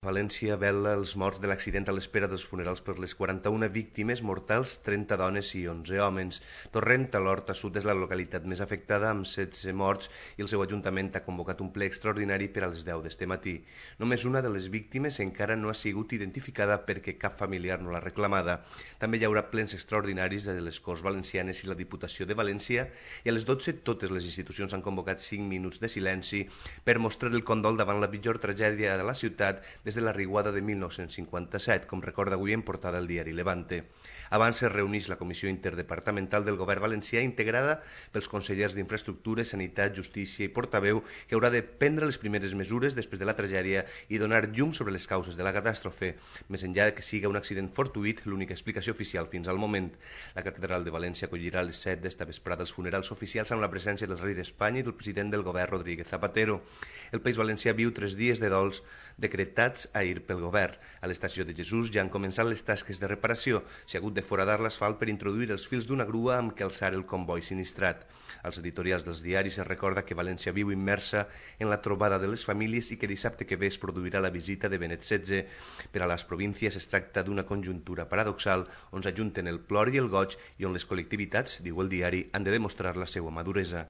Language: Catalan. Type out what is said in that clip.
València vela els morts de l'accident a l'espera dels funerals per les 41 víctimes mortals, 30 dones i 11 homes. Torrent, a l'Horta Sud, és la localitat més afectada, amb 16 morts, i el seu ajuntament ha convocat un ple extraordinari per a les 10 d'este matí. Només una de les víctimes encara no ha sigut identificada perquè cap familiar no l'ha reclamada. També hi haurà plens extraordinaris de les Corts Valencianes i la Diputació de València, i a les 12 totes les institucions han convocat 5 minuts de silenci per mostrar el condol davant la pitjor tragèdia de la ciutat des de la riuada de 1957, com recorda avui en portada el diari Levante. Abans es reuneix la Comissió Interdepartamental del Govern Valencià, integrada pels consellers d'Infraestructures, Sanitat, Justícia i Portaveu, que haurà de prendre les primeres mesures després de la tragèdia i donar llum sobre les causes de la catàstrofe. Més enllà que siga un accident fortuït, l'única explicació oficial fins al moment. La Catedral de València acollirà a les 7 d'esta vesprada els funerals oficials amb la presència del rei d'Espanya i del president del govern, Rodríguez Zapatero. El País Valencià viu 3 dies de dols decretats ahir pel govern. A l'estació de Jesús ja han començat les tasques de reparació. S'ha hagut de foradar l'asfalt per introduir els fils d'una grua amb què alçar el comboi sinistrat. Als editorials dels diaris es recorda que València viu immersa en la trobada de les famílies i que dissabte que ve es produirà la visita de Benet XVI. Per a les províncies es tracta d'una conjuntura paradoxal on s'ajunten el plor i el goig i on les col·lectivitats, diu el diari, han de demostrar la seva maduresa.